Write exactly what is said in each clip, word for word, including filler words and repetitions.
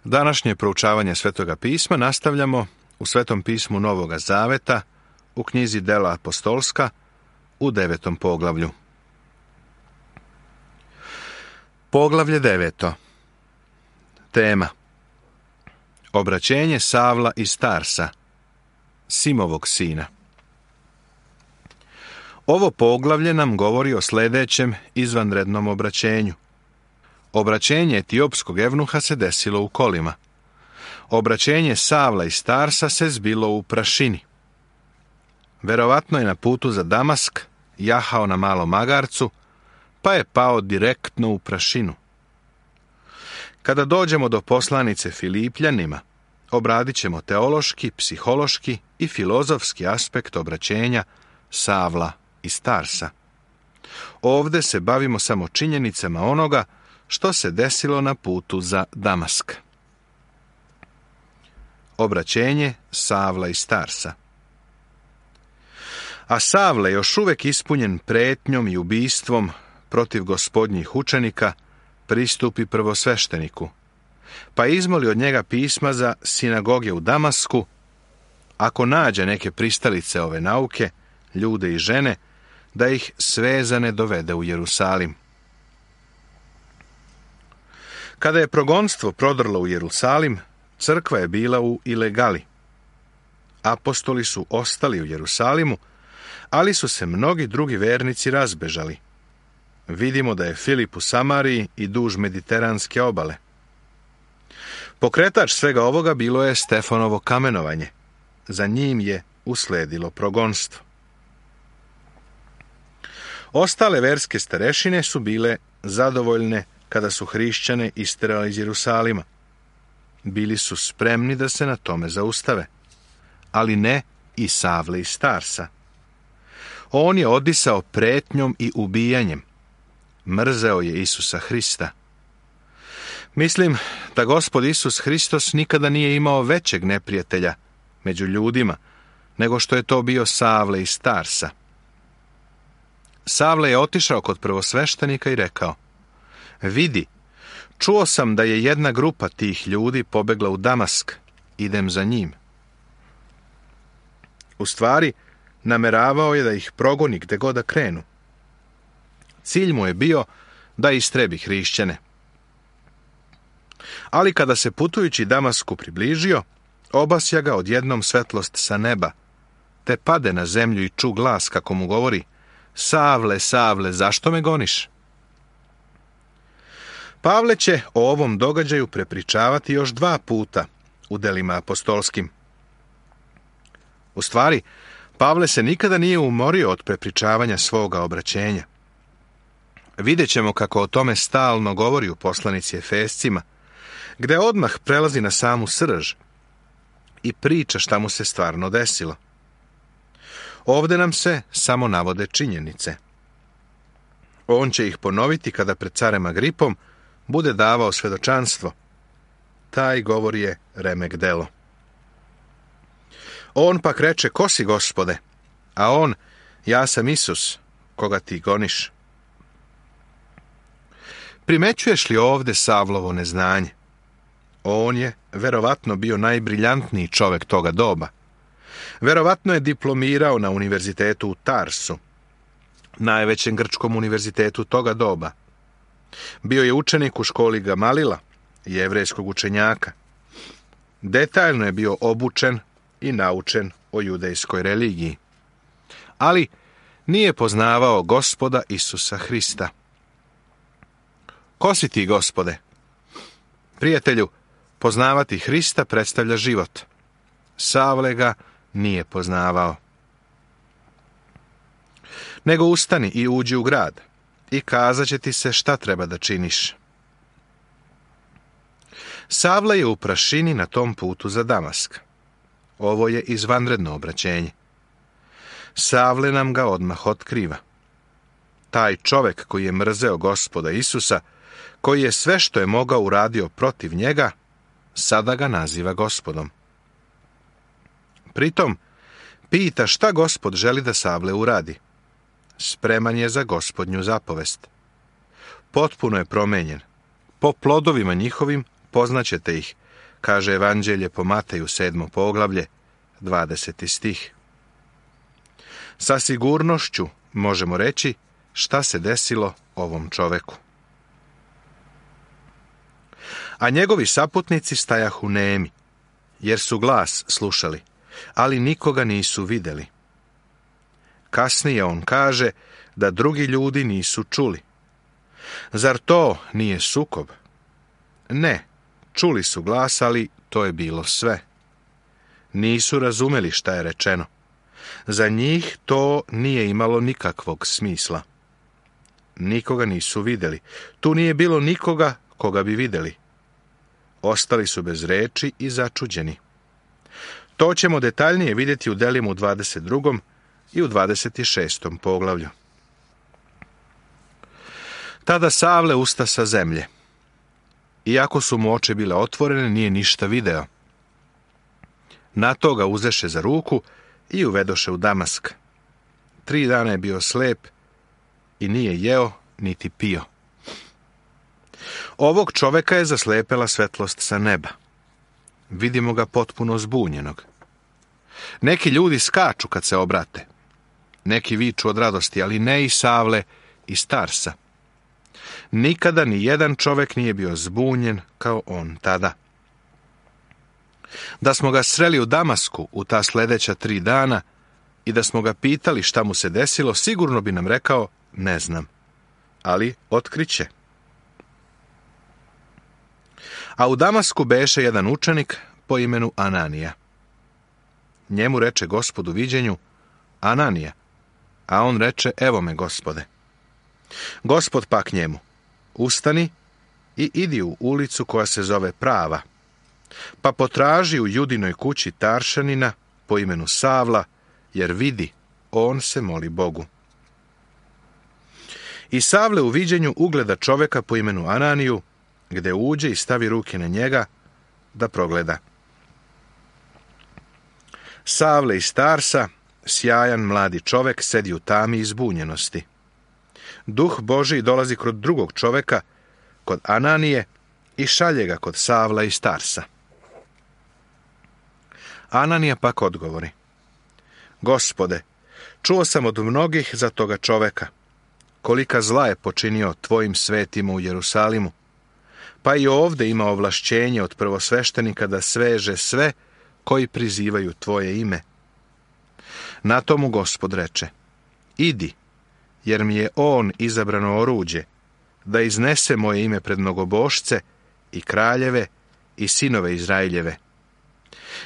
Današnje proučavanje Svetoga pisma nastavljamo u Svetom pismu Novoga Zaveta, u knjizi Dela apostolska, u devetom poglavlju. Poglavlje deveto. Tema: Obraćenje Savla iz Tarsa, Simovog sina. Ovo poglavlje nam govori o sljedećem izvanrednom obraćenju. Obraćenje etiopskog evnuha se desilo u kolima. Obraćenje Savla iz Tarsa se zbilo u prašini. Verovatno je na putu za Damask jahao na malom magarcu, pa je pao direktno u prašinu. Kada dođemo do poslanice Filipljanima, obradit ćemo teološki, psihološki i filozofski aspekt obraćenja Savla iz Tarsa. Ovdje se bavimo samo činjenicama onoga što se desilo na putu za Damask. Obraćenje Savla iz Tarsa. A Savle, još uvijek ispunjen pretnjom i ubistvom protiv gospodnjih učenika, pristupi prvosvešteniku, pa izmoli od njega pisma za sinagoge u Damasku, ako nađe neke pristalice ove nauke, ljude i žene, da ih svezane dovede u Jerusalim. Kada je progonstvo prodrlo u Jerusalim, crkva je bila u ilegali. Apostoli su ostali u Jerusalimu, ali su se mnogi drugi vernici razbežali. Vidimo da je Filip u Samariji i duž mediteranske obale. Pokretač svega ovoga bilo je Stefanovo kamenovanje. Za njim je usledilo progonstvo. Ostale verske starešine su bile zadovoljne kada su hrišćane isterali iz Jerusalima. Bili su spremni da se na tome zaustave, ali ne i Savle iz Tarsa. On je odisao pretnjom i ubijanjem. Mrzeo je Isusa Hrista. Mislim da Gospod Isus Hristos nikada nije imao većeg neprijatelja među ljudima, nego što je to bio Savle iz Tarsa. Savle je otišao kod prvosveštenika i rekao: Vidi, čuo sam da je jedna grupa tih ljudi pobegla u Damask, idem za njim. U stvari, nameravao je da ih progoni gde god da krenu. Cilj mu je bio da istrebi hrišćane. Ali kada se putujući Damasku približio, obasja ga odjednom svetlost sa neba, te pade na zemlju i ču glas kako mu govori: Savle, Savle, zašto me goniš? Pavle će o ovom događaju prepričavati još dva puta u delima apostolskim. U stvari, Pavle se nikada nije umorio od prepričavanja svoga obraćenja. Vidjet ćemo kako o tome stalno govori u poslanici Efescima, gde odmah prelazi na samu srž i priča šta mu se stvarno desilo. Ovdje nam se samo navode činjenice. On će ih ponoviti kada pred carem Agripom bude davao svedočanstvo. Taj govor je remek delo. On pak reče: Ko si, Gospode? A on: Ja sam Isus, koga ti goniš. Primećuješ li ovdje Savlovo neznanje? On je verovatno bio najbriljantniji čovjek toga doba. Verovatno je diplomirao na univerzitetu u Tarsu, najvećem grčkom univerzitetu toga doba. Bio je učenik u školi Gamalila, jevrejskog učenjaka. Detaljno je bio obučen i naučen o judejskoj religiji. Ali nije poznavao Gospoda Isusa Hrista. Ko si ti, Gospode? Prijatelju, poznavati Hrista predstavlja život. Savle ga nije poznavao. Nego ustani i uđi u grad i kazat će ti se šta treba da činiš. Savle je u prašini na tom putu za Damask. Ovo je izvanredno obraćenje. Savle nam ga odmah otkriva. Taj čovjek koji je mrzeo Gospoda Isusa, koji je sve što je mogao uradio protiv njega, sada ga naziva Gospodom. Pritom, pita šta Gospod želi da Savle uradi. Spreman je za Gospodnju zapovest. Potpuno je promenjen. Po plodovima njihovim poznaćete ih, kaže Evanđelje po Mateju sedmo poglavlje, dvadeseti stih. Sa sigurnošću možemo reći šta se desilo ovom čoveku. A njegovi saputnici stajahu nemi, jer su glas slušali, ali nikoga nisu vidjeli. Kasnije on kaže da drugi ljudi nisu čuli. Zar to nije sukob? Ne, čuli su glas, ali to je bilo sve. Nisu razumeli šta je rečeno. Za njih to nije imalo nikakvog smisla. Nikoga nisu vidjeli. Tu nije bilo nikoga koga bi vidjeli. Ostali su bez reči i začuđeni. To ćemo detaljnije vidjeti u delima u dvadeset drugom i u dvadeset šestom poglavlju. Tada Savle usta sa zemlje. Iako su mu oči bile otvorene, nije ništa video. Na to ga uzeše za ruku i uvedoše u Damask. Tri dana je bio slep i nije jeo niti pio. Ovog čoveka je zaslepela svetlost sa neba. Vidimo ga potpuno zbunjenog. Neki ljudi skaču kad se obrate. Neki viču od radosti, ali ne i Savle i Tarsa. Nikada ni jedan čovek nije bio zbunjen kao on tada. Da smo ga sreli u Damasku u ta sljedeća tri dana i da smo ga pitali šta mu se desilo, sigurno bi nam rekao, ne znam, ali otkriće. A u Damasku beše jedan učenik po imenu Ananija. Njemu reče Gospod u viđenju, Ananija, a on reče, evo me, Gospode. Gospod pak njemu, ustani i idi u ulicu koja se zove Prava, pa potraži u Judinoj kući Taršanina po imenu Savla, jer vidi, on se moli Bogu. I Savle u viđenju ugleda čoveka po imenu Ananiju, gde uđe i stavi ruke na njega da progleda. Savle iz Tarsa, sjajan mladi čovek, sedi u tami i zbunjenosti. Duh Božji dolazi kod drugog čoveka, kod Ananije, i šalje ga kod Savla iz Tarsa. Ananija pak odgovori, Gospode, čuo sam od mnogih za toga čoveka, kolika zla je počinio tvojim svetima u Jerusalimu, pa i ovdje ima ovlašćenje od prvosveštenika da sveže sve koji prizivaju tvoje ime. Na tomu Gospod reče, idi, jer mi je on izabrano oruđe, da iznese moje ime pred mnogobošce i kraljeve i sinove Izraeljeve.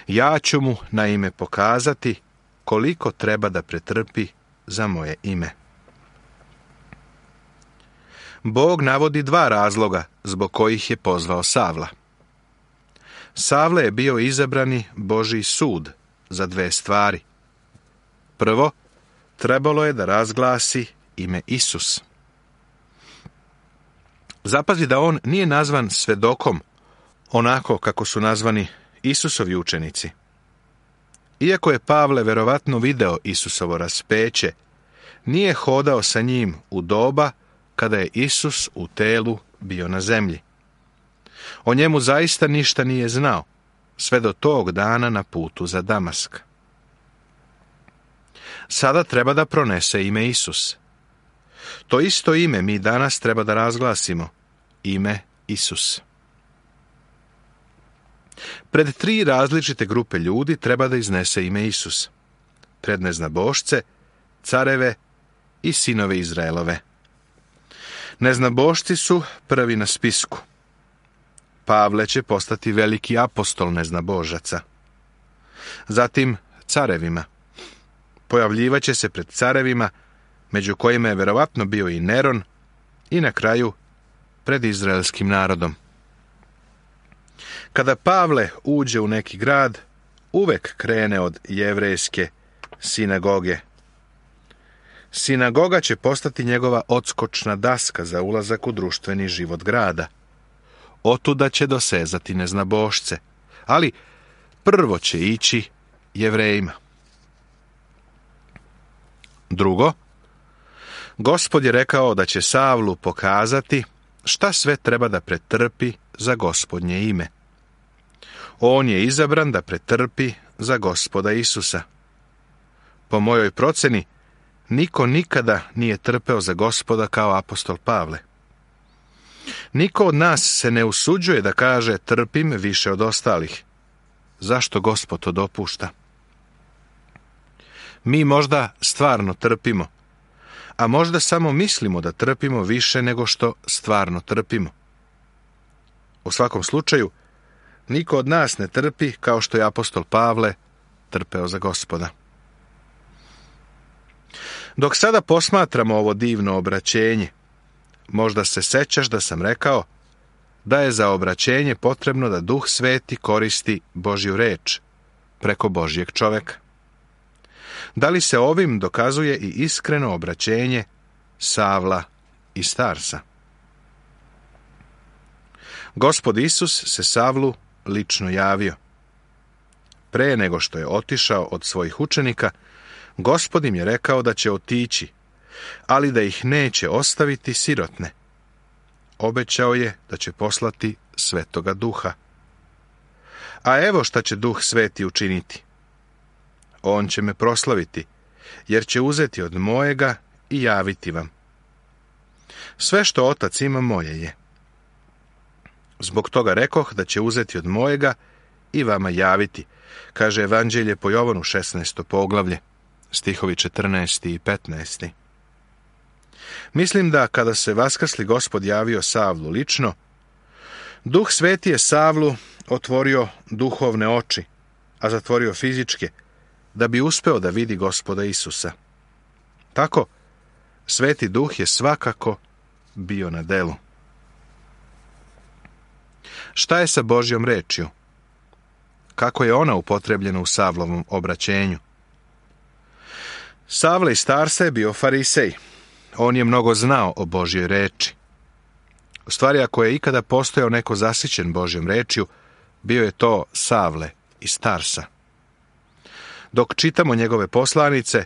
Ja ću mu na ime pokazati koliko treba da pretrpi za moje ime. Bog navodi dva razloga zbog kojih je pozvao Savla. Savle je bio izabrani Božji sud za dve stvari. Prvo, trebalo je da razglasi ime Isus. Zapazi da on nije nazvan svedokom, onako kako su nazvani Isusovi učenici. Iako je Pavle verovatno video Isusovo raspeće, nije hodao sa njim u doba kada je Isus u telu bio na zemlji. O njemu zaista ništa nije znao, sve do tog dana na putu za Damask. Sada treba da pronese ime Isus. To isto ime mi danas treba da razglasimo, ime Isus. Pred tri različite grupe ljudi treba da iznese ime Isus. Pred neznabošce, careve i sinove Izraelove. Neznabošci su prvi na spisku. Pavle će postati veliki apostol neznabožaca. Zatim carevima. Pojavljivaće se pred carevima, među kojima je verovatno bio i Neron, i na kraju pred izraelskim narodom. Kada Pavle uđe u neki grad, uvek krene od jevrejske sinagoge. Sinagoga će postati njegova odskočna daska za ulazak u društveni život grada. Otuda će dosezati neznabošce, ali prvo će ići Jevrejima. Drugo, Gospod je rekao da će Savlu pokazati šta sve treba da pretrpi za Gospodnje ime. On je izabran da pretrpi za Gospoda Isusa. Po mojoj proceni, niko nikada nije trpeo za Gospoda kao apostol Pavle. Niko od nas se ne usuđuje da kaže trpim više od ostalih. Zašto Gospod to dopušta? Mi možda stvarno trpimo, a možda samo mislimo da trpimo više nego što stvarno trpimo. U svakom slučaju, niko od nas ne trpi kao što je apostol Pavle trpeo za Gospoda. Dok sada posmatramo ovo divno obraćenje, možda se sećaš da sam rekao da je za obraćenje potrebno da Duh Sveti koristi Božju reč preko Božjeg čoveka. Da li se ovim dokazuje i iskreno obraćenje Savla i Starsa? Gospod Isus se Savlu lično javio. Pre nego što je otišao od svojih učenika, Gospod im je rekao da će otići, ali da ih neće ostaviti sirotne. Obećao je da će poslati Svetoga Duha. A evo šta će Duh Sveti učiniti. On će me proslaviti, jer će uzeti od mojega i javiti vam. Sve što Otac ima moje je. Zbog toga rekoh da će uzeti od mojega i vama javiti, kaže Evanđelje po Jovanu šesnaesto poglavlje, stihovi četrnaesti i petnaesti. Mislim da kada se vaskrsli Gospod javio Savlu lično, Duh Sveti je Savlu otvorio duhovne oči, a zatvorio fizičke, da bi uspeo da vidi Gospoda Isusa. Tako, Sveti Duh je svakako bio na delu. Šta je sa Božjom rečju? Kako je ona upotrebljena u Savlovom obraćenju? Savle i Starsa je bio farisej. On je mnogo znao o Božjoj reči. U stvari, ako je ikada postojao neko zasićen Božjom rečju, bio je to Savle i Starsa. Dok čitamo njegove poslanice,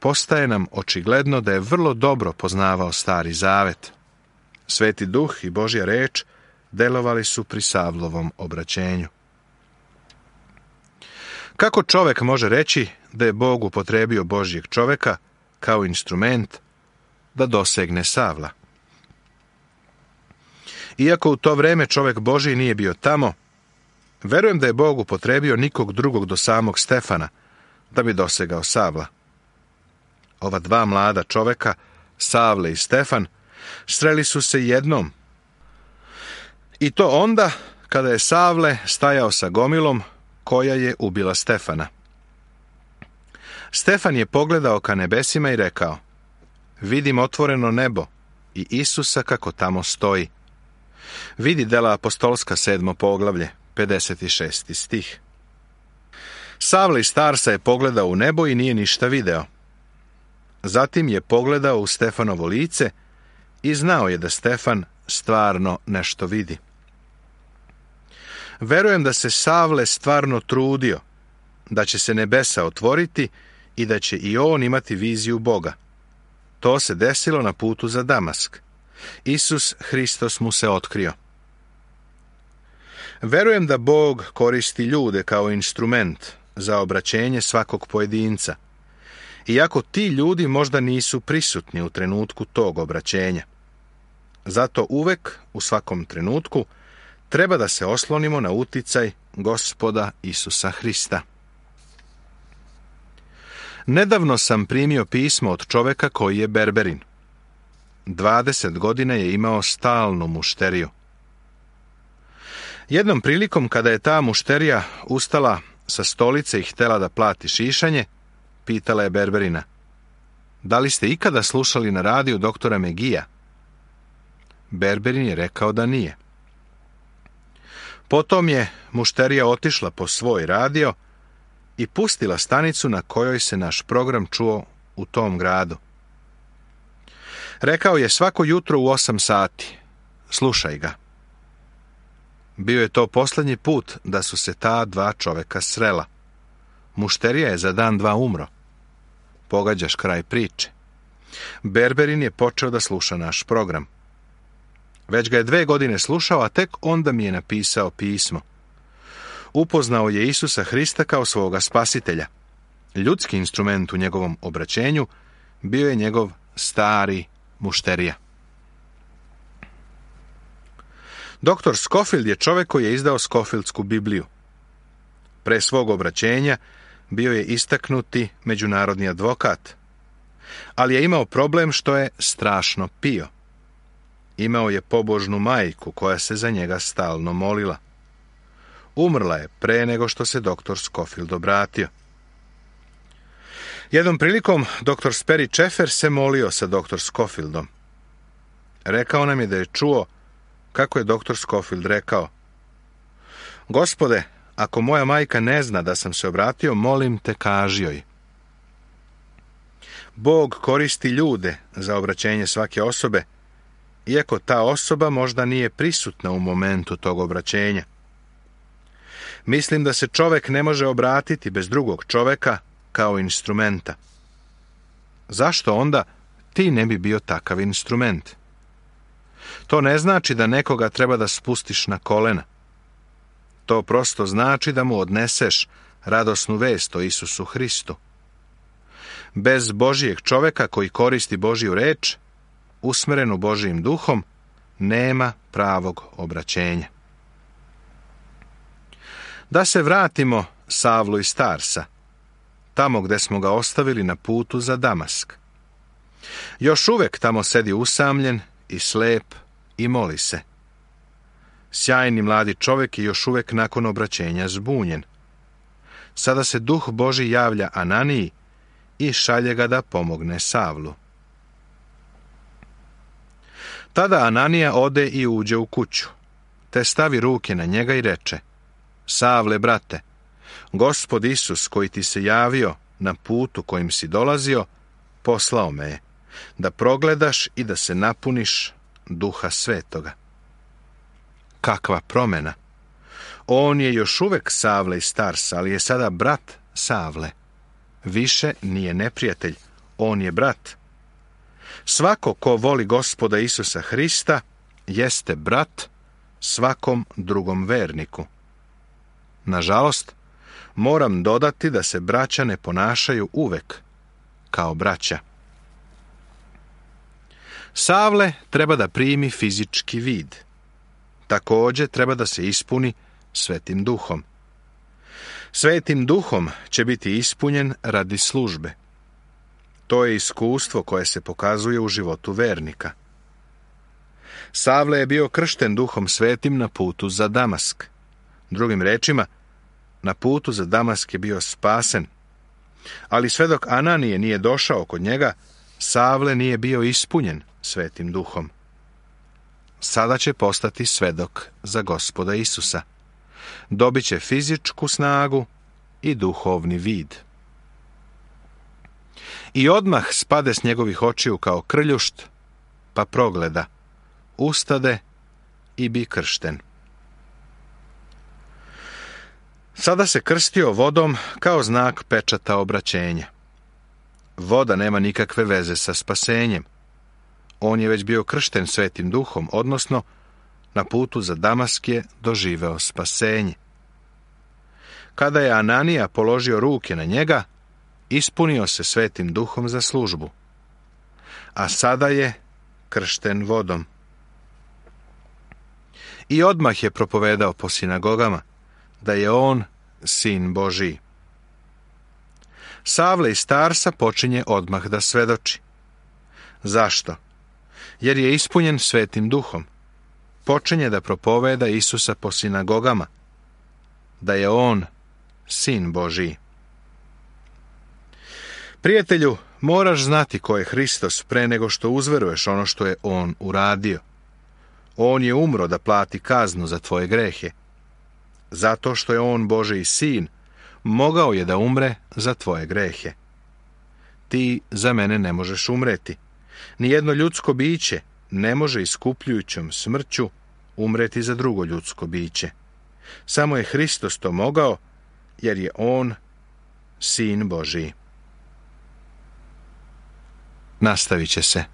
postaje nam očigledno da je vrlo dobro poznavao Stari Zavet. Sveti Duh i Božja reč delovali su pri Savlovom obraćenju. Kako čovek može reći da je Bog upotrebio Božjeg čoveka kao instrument da dosegne Savla? Iako u to vreme čovek Božji nije bio tamo, verujem da je Bog upotrebio nikog drugog do samog Stefana da bi dosegao Savla. Ova dva mlada čoveka, Savle i Stefan, sreli su se jednom. I to onda kada je Savle stajao sa gomilom koja je ubila Stefana. Stefan je pogledao ka nebesima i rekao: vidim otvoreno nebo i Isusa kako tamo stoji. Vidi Dela apostolska sedmo poglavlje, pedeset šesti stih. Savle i Starsa je pogledao u nebo i nije ništa video. Zatim je pogledao u Stefanovo lice i znao je da Stefan stvarno nešto vidi. Verujem da se Savle stvarno trudio, da će se nebesa otvoriti i da će i on imati viziju Boga. To se desilo na putu za Damask. Isus Hristos mu se otkrio. Verujem da Bog koristi ljude kao instrument za obraćenje svakog pojedinca, iako ti ljudi možda nisu prisutni u trenutku tog obraćenja. Zato uvek, u svakom trenutku, treba da se oslonimo na uticaj Gospoda Isusa Hrista. Nedavno sam primio pismo od čoveka koji je berberin. dvadeset godina je imao stalnu mušteriju. Jednom prilikom, kada je ta mušterija ustala sa stolice i htjela da plati šišanje, pitala je berberina: da li ste ikada slušali na radiju doktora Megija? Berberin je rekao da nije. Potom je mušterija otišla po svoj radio i pustila stanicu na kojoj se naš program čuo u tom gradu. Rekao je: svako jutro u osam sati. Slušaj ga. Bio je to posljednji put da su se ta dva čoveka srela. Mušterija je za dan dva umro. Pogađaš kraj priče. Berberin je počeo da sluša naš program. Već ga je dve godine slušao, a tek onda mi je napisao pismo. Upoznao je Isusa Hrista kao svoga spasitelja. Ljudski instrument u njegovom obraćenju bio je njegov stari mušterija. Doktor Scofield je čovjek koji je izdao Scofieldsku Bibliju. Pre svog obraćenja bio je istaknuti međunarodni advokat, ali je imao problem što je strašno pio. Imao je pobožnu majku koja se za njega stalno molila. Umrla je pre nego što se doktor Scofield obratio. Jednom prilikom doktor Sperry Chafer se molio sa doktor Scofieldom. Rekao nam je da je čuo kako je doktor Scofield rekao: Gospode, ako moja majka ne zna da sam se obratio, molim te, kaži joj. Bog koristi ljude za obraćenje svake osobe, iako ta osoba možda nije prisutna u momentu tog obraćenja. Mislim da se čovjek ne može obratiti bez drugog čovjeka kao instrumenta. Zašto onda ti ne bi bio takav instrument? To ne znači da nekoga treba da spustiš na kolena. To prosto znači da mu odneseš radosnu vest o Isusu Hristu. Bez Božijeg čovjeka koji koristi Božiju reč, usmerenu Božijim duhom, nema pravog obraćenja. Da se vratimo Savlu iz Tarsa, tamo gde smo ga ostavili na putu za Damask. Još uvek tamo sedi usamljen i slep i moli se. Sjajni mladi čovjek je još uvek nakon obraćenja zbunjen. Sada se Duh Božji javlja Ananiji i šalje ga da pomogne Savlu. Tada Ananija ode i uđe u kuću, te stavi ruke na njega i reče: Savle, brate, Gospod Isus koji ti se javio na putu kojim si dolazio, poslao me je, da progledaš i da se napuniš Duha Svetoga. Kakva promjena! On je još uvek Savle iz Tarsa, ali je sada brat Savle. Više nije neprijatelj, on je brat. Svako ko voli Gospoda Isusa Hrista jeste brat svakom drugom verniku. Nažalost, moram dodati da se braća ne ponašaju uvek kao braća. Savle treba da primi fizički vid. Također treba da se ispuni Svetim Duhom. Svetim Duhom će biti ispunjen radi službe. To je iskustvo koje se pokazuje u životu vernika. Savle je bio kršten Duhom Svetim na putu za Damask. Drugim rečima, na putu za Damask je bio spasen. Ali sve dok Ananije nije došao kod njega, Savle nije bio ispunjen Svetim Duhom. Sada će postati svedok za Gospoda Isusa. Dobit će fizičku snagu i duhovni vid. I odmah spade s njegovih očiju kao krljušt, pa progleda, ustade i bi kršten. Sada se krstio vodom kao znak pečata obraćenja. Voda nema nikakve veze sa spasenjem. On je već bio kršten Svetim Duhom, odnosno na putu za Damask je doživeo spasenje. Kada je Ananija položio ruke na njega, ispunio se Svetim Duhom za službu. A sada je kršten vodom. I odmah je propovedao po sinagogama da je on Sin Božiji. Savle iz Tarsa počinje odmah da svedoči. Zašto? Jer je ispunjen Svetim Duhom. Počinje da propoveda Isusa po sinagogama, da je on Sin Božiji. Prijatelju, moraš znati ko je Hristos pre nego što uzveruješ ono što je on uradio. On je umro da plati kaznu za tvoje grehe. Zato što je on Božiji sin, mogao je da umre za tvoje grehe. Ti za mene ne možeš umreti. Nijedno ljudsko biće ne može iskupljujućom smrću umreti za drugo ljudsko biće. Samo je Hristos to mogao, jer je on Sin Božiji. Nastavit će se.